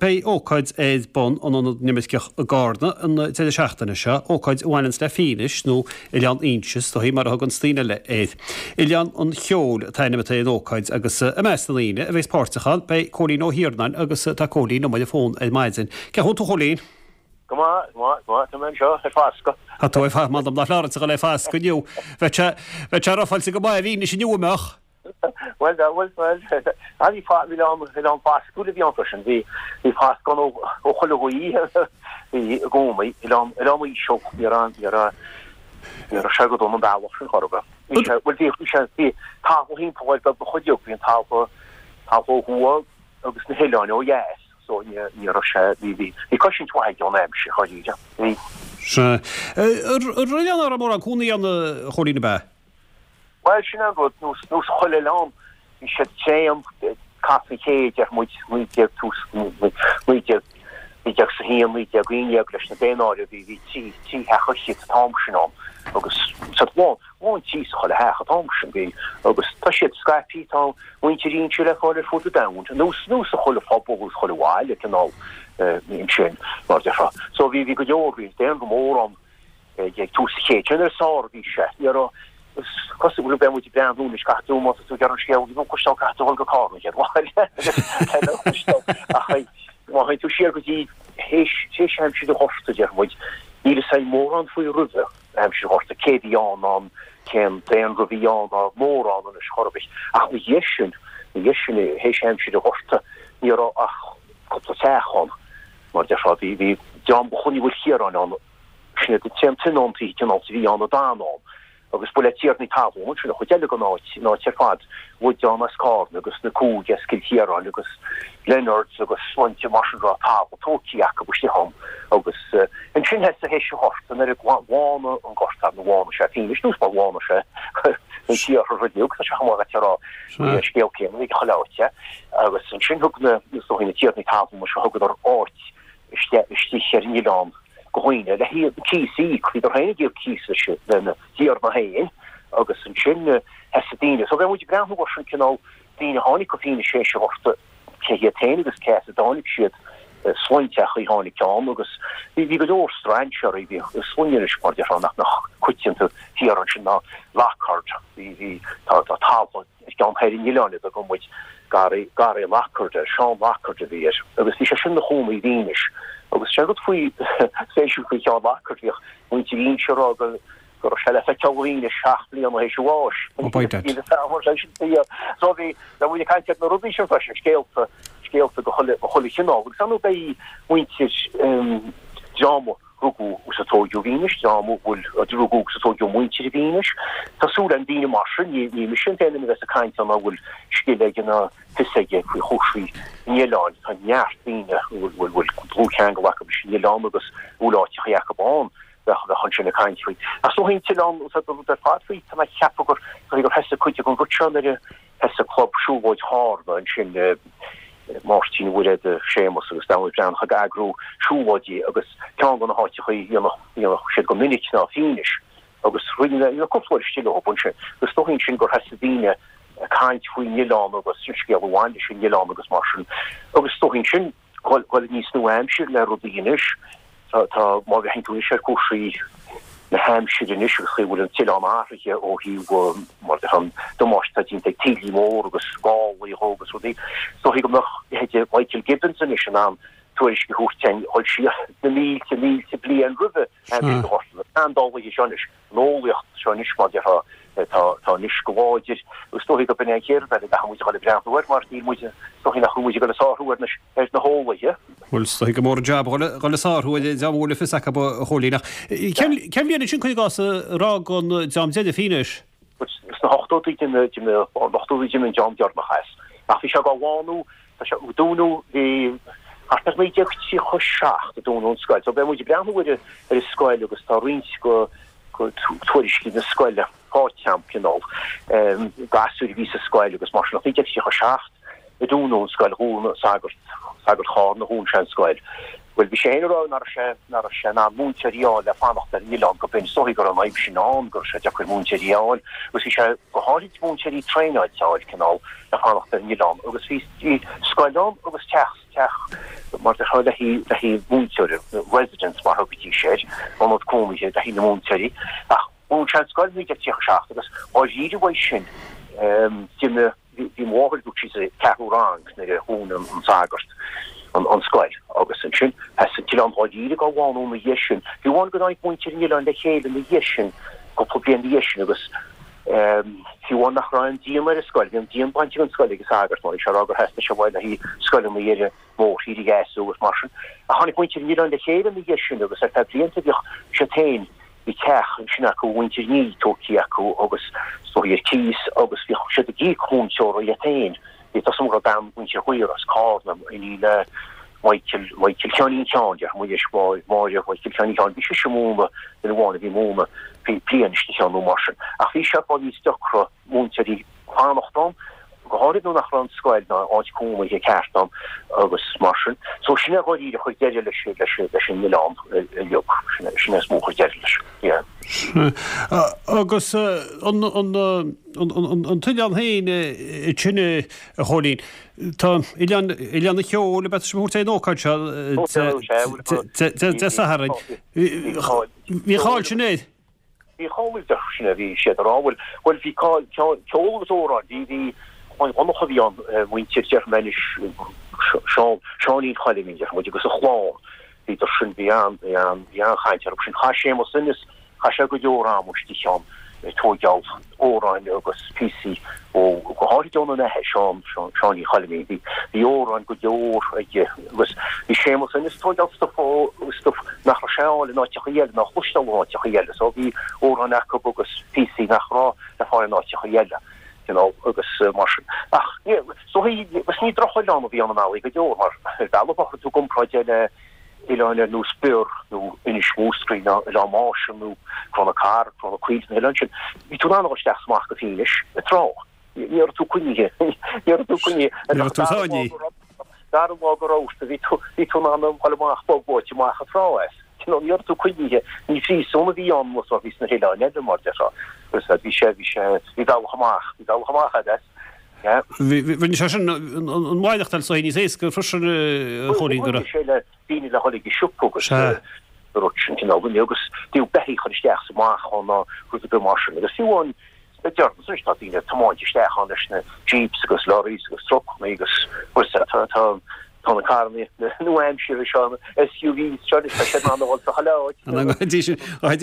Beidh ócáid ar bun in Ionad na nImirceach i gCarna an deireadh seachtaine seo, ócáid a bhaineanns le Fínis, nó Oileán Inse is dóichí mar a thuganns daoine eile air. Oileán an Cheoil an t-ainm atá ar an ócáid agus i measc na ndaoine a bheas páirteach ann beidh Cóilín Ó hIarnáin agus tá Cóilín liom ar an bhfón ar maidin. Cén chaoi a bhfuil tú a Chóilín? Go maith, go maith, go maith, tá mé anseo ar fascadh. Tá tú ar fascadh, m'anam nach leor duit a dhul ar fascadh inniu. Bheadh sé, bheadh sé rofáilte go maith i bhFínis inniu, an mbeadh? Bhuel, bhuel, bhuel, bhí oileán, oileán fascúil a bhí ann freisin, bhí, bhí fascadh ann ó, ó chuile ghaoth, bhí i gcónaí, oileán, oileán íseal, ní raibh, ní raibh, ní raibh sé go dona an bealach sin chor ar bith. Bhí sé, bhuel, bhí, bhí sé, bhí talamh thimpeall air beagnach uilig, bhí an talamh, talamh ó thuaidh agus na hoileáin ó dheas. So ní raibh sé, bhí, bhí, bhí cosaint mhaith aige ón aimsir, dháiríre. Bhí. Sea. Ar oileán nach raibh mórán cónaí ann, a Chóilín, ab ea? Bhuel, sin é an rud, nós, nós chuile oileán, bhí siad tréan, cath an chéid, deir muid, 19, tús, 19, 1901, 1911 leis na daonáirimh, bhí, bhí trí, trí theach fhichead an t-am sin ann agus sa lán, lán tí sa chuile theach an t-am sin, bhí, agus tá siad scaipthe, tá muintir Inse le fáil ar fud an domhain, nós, nós sa chuile phobal agus chuile bhaile, cineál, ansin, mar a déarfá. So bhí, bhí go leor, bhí daonra mór ann ag tús an chéid. Sin ar sár a bhí sé. Ní raibh, is cosúil go mbeidh muid ag breathnú anois, caithfidh tú, má tá tú ag iarraidh an scéal a chloisteáil, caithfidh tú a dhul go Carna an chéad lá eile lena chloisteáil. Ach má théann tú siar go dtí théis, théis aimsir an Ghorta, déarfaidh muid, níl fhios a'inn mórán faoi roimhe aimsir an Ghorta, cé bhí ann ná cén daonra a bhí ann ná mórán anois chor ar bith. Ach ina dhiaidh sin, ina dhiaidh sin, théis aimsir an Ghorta, ní raibh ach cúpla teach ann, mar a déarfá, bhí, bhí dream de Chloinn Uí Mhaoilchiaráin ann, Sin iad an t-aon tionóntaí cineál a bhí ann a d'fhan ann agus ba le tiarnaí talún ansin an chuid eile den áit, an áit ar fad, Woodon as Cárna agus na Cúige as Cill Chiaráin agus Leonards agus sloinnte mar sin raibh talamh tógtha acu istigh ann agus ansin thosaigh théis an Ghorta nuair a bhánaigh an Gorta nó bhánaigh sé Fínis nós mar bhánaigh sé an t-iarthar uilig tá sé chomh maith leat a rá bhí an scéal céanna ag chuile áit agus ansin thug na is dóigh na tiarnaí talún seo thugadar áit istigh ar an oileán do dhaoine le cíos a íoc. Bhíodar féin ag íoc cíos leis lena dtiarna féin agus ansin thosaigh daoine. So bheadh muid ag breathnú ar sin cineál daoine a tháinig go Fínis théis an Ghorta, cé hiad féin agus cé as a dtáinig siad, sloinnte a tháinig ann agus bhí bhí go leor strainséirí, bhí sloinne anois mar déarfá nach mbeadh coitianta thiar ansin ná Lockhart, bhí bhí tá tá talamh Ar cheann thoir an oileáin a dtugann muid Garraí, Garraí Lockhart air, Seán Lockhart a bhí air agus bhí sé sin ina chónaí i bhFínis. Agus sé an rud faoi, spéisiúil faoi Sheán Lockhart, bhíodh muintir Inse ag rá go go raibh sé le feiceáil i bhFínis 7 mbliana théis a bháis. Oh by dad. Níl fhios a'm ar sé sin fíor. So bhí, bheadh muid ag caint ar na rudaí sin freisin, scéalta, scéalta de chuile, de chuile chineál. Agus ar ndóigh beidh muintir dream a rugadh agus a tóigeadh i bhFínis, dream a bhfuil, a rugadh agus a tóigeadh a muintir i bhFínis. Tá súil agam daoine mar sin, ní, ní mise an t-aon duine a bheas ag caint ann a bhfuil scil aige ná fios aige faoi chúrsaí an oileáin. Tá neart daoine a bhfuil, bhfuil, bhfuil dlúthcheangal acu leis an oileán agus a bhfuil áiteachaí acu ann, bheadh, bheadh ansin ag caint faoi. Ach is dóigh an t-oileán, is ea, rud ar fad faoi, tá mé ag ceapadh gur, gur thosaigh cuid den rud seo nuair a, Thosaigh Club Siúlóid Chárna ansin, Máirtín Ó Muirthile, Séamus agus Domhnall Breathnach ag eagrú siúlóidí agus ceann de na háiteachaí a dhéanadh siad go minic ná Fínis agus rinne mé cúpla uair istigh leo ansin agus is dóigh ansin gur thosaigh daoine ag caint faoin oileán agus an scéal a bhain leis an oileán agus mar sin agus is dóigh ansin dhul níos nua-aimsire le rudaí anois. Tá, tá, má bhreathnaíonn tú anois ar chúrsaí na haimsire anois agus chaoi a bhfuil an t-oileán athraithe ó thaobh mar de an damáiste atá déanta ag taoillí mór agus gálaí dhó agus rudaí, is dóichí go mbeadh leithéide Michael Gibbons anois in ann tuairisc a thabhairt dúinn dhul siar na mílte, mílte bliain roimhe aimsir an Ghorta. Na seandálaithe seo anois. an eolaíocht seo anois, mar déarfá, tá anois go láidir agus is dóichí gurb in é an chéad rud eile a gcaithfidh muid a dhul ag breathnú air mar níl muid, is dóichí nach bhfuil muid ag dul ag sárú ar na, ar na heolaithe. Bhuel, is dóichí gur mór an jab a dhul, dhul ag sárú ar an dream a bhfuil a fios acu, a Chóilín. Ach cén, cén bhliain ansin, cuir i gcás, ar fhág an dream deiridh Fínis? Sna hochtóidí, d'imigh, d'imigh, ochtóidí d'imigh an dream deireanach as. Ach bhí sé dhá bhánú, tá sé, dúnadh, bhí thart ar 1937 a dúnadh an scoil. So beidh muid ag breathnú ar ar an scoil agus tá roinnt go go tuairiscí na scoile faighte agam cineál gasúir a bhí sa scoil agus mar sin ach 1937 a dúnadh an scoil, dhún sagart, sagart Chárna, dhún sé an scoil. Bhuel, bhí sé féin ag rá nach raibh sé, nach raibh sé in ann múinteoirí a fháil le fanacht ar an oileán go binn. Is dóichí go raibh an fhadhb sin ann, go raibh sé deacair múinteoirí a fháil agus bhí sé go háirid múinteoirí traenáilte a fháil cineál le fanacht ar an oileán agus bhí, bhí scoil ann agus teach, teach. Mar déarfá le haghaidh múinteoirí, residence mar a thugaidís air, ionad cónaithe le haghaidh na múinteoirí. Ach dhún sé an scoil i 1937 agus dháiríre uaidh sin d'imigh, bhí mo mháthair, dúirt sí, sa cheathrú rang nuair a dhún an sagart an scoil agus ansin sheas an t-oileán dháiríre dhá bhánú ina dhiaidh sin. Fiú amháin go dtáinig muintir an oileáin le chéile ina dhiaidh sin, cúpla bliain ina dhiaidh sin agus fiú amháin nach raibh aon díon ar an scoil, bhí an díon bainte den scoil ag an sagart mar bhí sé ag rá gur theastaigh sé uaidh le haghaidh scoileanna ar an mórthír a dheasú agus mar sin. Ach tháinig muintir an oileáin le chéile ina dhiaidh sin agus ar feadh blianta bhíodh siad féin, bhí teach ansin acu, muintir Ní tógtha acu agus is dóigh ar cíos agus bhíodh siad ag íoc múinteora iad féin. Bhí tá a fhios agam go raibh bean mhuintir Ghaora as Cárna, iníon le Michael, Michael Sheáinín Sheáin, déarfaidh muid anois, Máire Mhichael Sheáinín Sheáin, bhí sise ag múineadh, duine amháin a bhí ag múineadh, bhí bliain istigh ann nó mar sin. Ach bhí sé fáil níos deacra múinteoirí fanacht ann, go háirid nuair nach raibh an scoil ná áit cónaithe ceart ann agus mar sin. So sin é dháiríre a chuir deireadh leis, leis, leis an oileán uilig, sin é, sin é is mó a chuir deireadh leis, yeah. Agus an, an, an t-oileán féin ansin, a Chóilín, tá Oileán, Oileán an Cheoil, ab ea tá sibh a thabhairt ar an ócáid seo Dé Sathairn. Bhí cáil sin air. Bhí cáil air, sin é, bhí siad ag rá, bhuel, bhuel bhí cáil, ceol agus amhráin, bhí, bhí, Clann Dhonncha a bhí ann, muintir, déarfaidh mé anois, Seán, Seáinín Choilimín, déarfaidh muid, agus a chlann, bhíodar sin, bhí an, bhí an, bhí an-chaint orthu sin. Chaith Séamus Ennis, Chaith sé go leor ama istigh ann ag tóigeáil amhráin agus píosaí ó, go háirid óna athair, Seán, Seáinín Choilimín. Bhí, bhí amhráin go leor aige agus bhí Séamus Ennis ag tóigeáil stuif ó, stuif nach raibh sé a fháil in áiteachaí eile, ná a chloisteáil in áiteachaí eile. So bhí amhráin acu agus píosaí nach raibh le fáil in áiteachaí eile, you know, agus mar sin. Ach ní, so bhí, agus ní drochoileán a bhí ann i mbealaí go leor mar ar bhealach má chuir tú i gcomparáid é le oileáin ar nós Bior nó Inis Múscraí nó Oileán Máise nó Cró na Carraige, Cró na Caoilte, na hoileáin sin, bhí tú in ann a dhul isteach is amach go Fínis ag trá. Ní raibh tú coinnithe. Ní raibh tú coinnithe. Ní raibh tú sáinnithe. Dara lá go raibh bhí tú bhí tú in ann a dhul amach bog bóite amach an trá as. You know, ní raibh tú coinnithe. Ní phríosún a bhí ann mar a bhí sna hoileáin eile mar déarfá. Agus bhí sé bhí sé bhí bealach amach, bhí bealach amach agat as. Yeah. Rinne sé sin an mhaireachtáil so níos éasca freisin a Chóilín go raibh. sé le daoine le dhul ag an siopa agus an rud sin cineál duine agus bhíodh beithígh chur isteach is amach ann ná rud ar bith mar sin agus fiú amháin le deireanas anois tá daoine ag tiomáint isteach ann leis na jeeps agus lorries agus trucanna agus rud tá tá tá na carranna nua-aimseartha seo na SUVs seo anois tá siad in ann a dhul sa chuile áit. An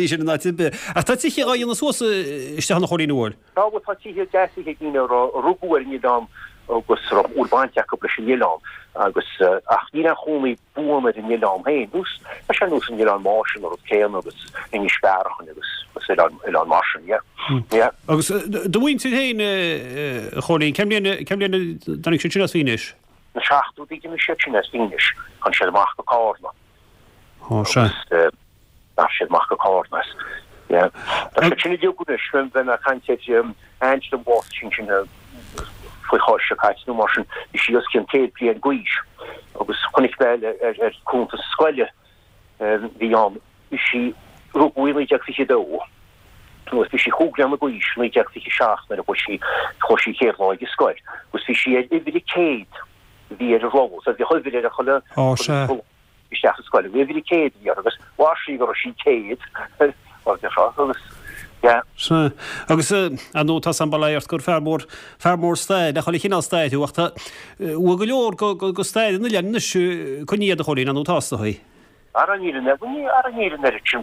sin in áit ar bith. Ach tá tithe á dhéanamh suas isteach ann a Chóilín an bhfuil? Tá, bhuel, tá tithe deasa ag daoine a rugadh ar an oileán agus a raibh baint acu leis an oileán agus, ach níl aon chónaí buan ar an oileán féin. Nós, tá sé nós an Oileán Máise an rud céanna agus Inis Bearachain agus oileáin, oileáin mar sin, yeah. Yeah. Agus do mhuintir féin, a Chóilín, cén bhliain, cén bhliain a dtáinig siad sin as Fínis? Na seachtóidí d'imigh siad sin as Fínis, tháinig siad amach go Cárna. Ó, sea. Agus, D'imigh siad amach go Cárna as. Yeah. Tá siad sin uilig anois, bheith mé ag caint ar aint liom bhásaigh sí ansin faoi Cháisc seo caite nó mar sin, bhí sí os cionn 100 bliain d'aois agus chonaic mé ar ar cuntas scoile bhí ann, bhí sí, rugadh í 1922 agus bhí sí chúig bliana d'aois 1927 nuair a chuaigh sí, chuaigh sí chéad lá ag an scoil agus bhí sí ar uimhir a 100 a bhí ar an rolla, so bhíodh uimhir ar an chuile, Ó sea. isteach sa scoil. Bhí uimhir a 100 a bhí uirthi agus mhair sí go raibh sí 100 mar a déarfá agus yeah. Sea. Agus ar ndóigh tá sam bail ort gur fear mór, fear mór staire, chuile chineál staire thú ach tá bhfuil go leor go, go, go stair an oileáin anois coinnithe agat a Chóilín, ar ndóigh tá is dóigh. Ara níl an, ní, ara níl an oiread sin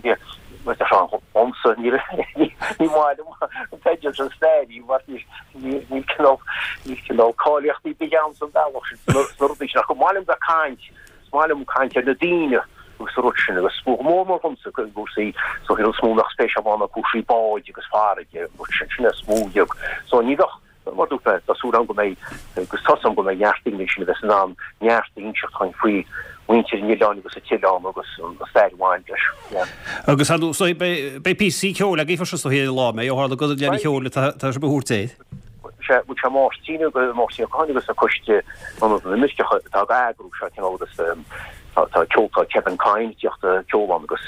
mar a déarfá dhomsa, níl, ní maith liom an teideal sin stairí mar ní, ní, níl cineál, níl cineál cáilíochtaí ar bith agam san bealach sin, sna, sna rudaí sin ach go maith liom bheith ag caint Is maith liom caint ar na daoine agus an rud sin agus go mór mór dhomsa cúrsaí so an rud is mó a mbeadh spéis agam ann ná cúrsaí báid agus farraige an rud sin, sin é is mó uilig. So ní bheadh, mar dúirt mé, tá súil agam go mbeidh agus tá a fhios agam go mbeidh neart daoine ansin a bheas in ann neart a inseacht dhuinn faoi mhuintir an oileáin agus an t-oileán agus an stair a bhain leis. Yeah. Agus ar ndóigh beidh píosaí ceoil agaibh freisin is dóigh ar an lá, mbeidh, ó tharla gur Oileán an Cheoil atá sibh a thabhairt air. Sé, bhuel sé Máirtín agus Máirtín Ó Catháin agus an coiste Ionad na nImirceach atá ag eagrú seo cineál agus tá tá ceol tá Kevin Kyne ag tíocht ag ceol ann agus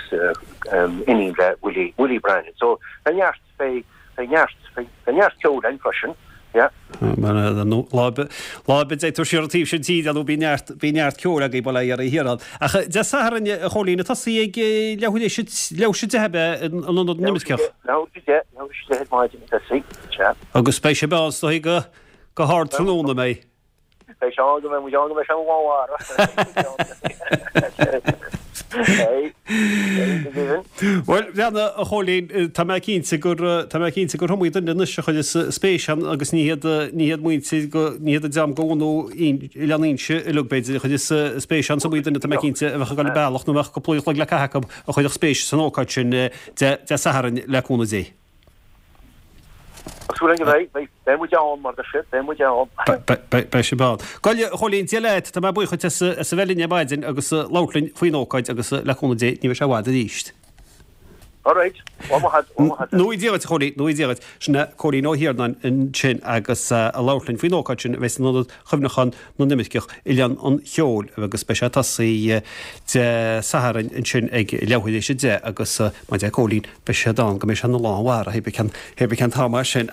iníon le Willie Willie Brannan. So beidh neart beidh beidh neart beidh neart ceoil ann freisin. Yeah. Lá ar bith dtéann tú siar an taobh sin tíre nó bíonn neart, bíonn neart ceoil agaibh bail ó Dhia ar Thír Ach Dé Sathairn, a Chóilín, ag tosaí ag leathuair théis a, leathuair théis 10 ab ea in Ionad na nImirceach? Leathuair théis 10, leathuair théis 10 ar maidin ag tosaí, sea. Agus beidh sibh ann is dóigh go, go hard tráthnóna, an mbeidh? Beidh sé ann go mbeidh muid ann go mbeidh sé ina lánmhara. Bhuel, bheanna, a Chóilín, tá mé cinnte gur, tá mé cinnte gur iomaí duine anois a chuireas spéis ann agus ní hiad, ní hiad muintir go, ní hiad an dream de bhunadh Oileán Fhínse uilig b'fhéidir a chuireas spéis ann, is iomaí duine tá mé cinnte a bheadh ag dul an bealach nó a mbeadh cúpla uair an chloig le caitheamh acu a chuirfeadh spéis san ócáid sin Dé, Dé Sathairn le cúnamh Dé. Tá súil againn go mbeidh, beidh, beidh muid ann mar deir siad, beidh muid ann. Beidh sibh ann. Bhuel, a Chóilín, Dia leat, tá mé buíoch duit as a bheith linn ar maidin agus labhairt linn faoin ócáid agus le cúnamh Dé ní bheidh sé i bhfad arís. All right, lá maith agat, lá maith agat. Nua Dia dhuit, a Chóilín, nua Dia dhuit. Sin é Cóilín Ó hIarnáin ansin agus ag labhairt linn faoin ócáid sin a bheidh san Ionad Chuimhneacháin na nImirceach, Oileán an Cheoil agus beidh sé ag tosaí Dé Sathairn ansin ag leathuair théis 10 agus mar a deir Cóilín, beidh siad ann go mbeidh sé ina lán mhara, hé bí cén, hé bí cén t-am é sin.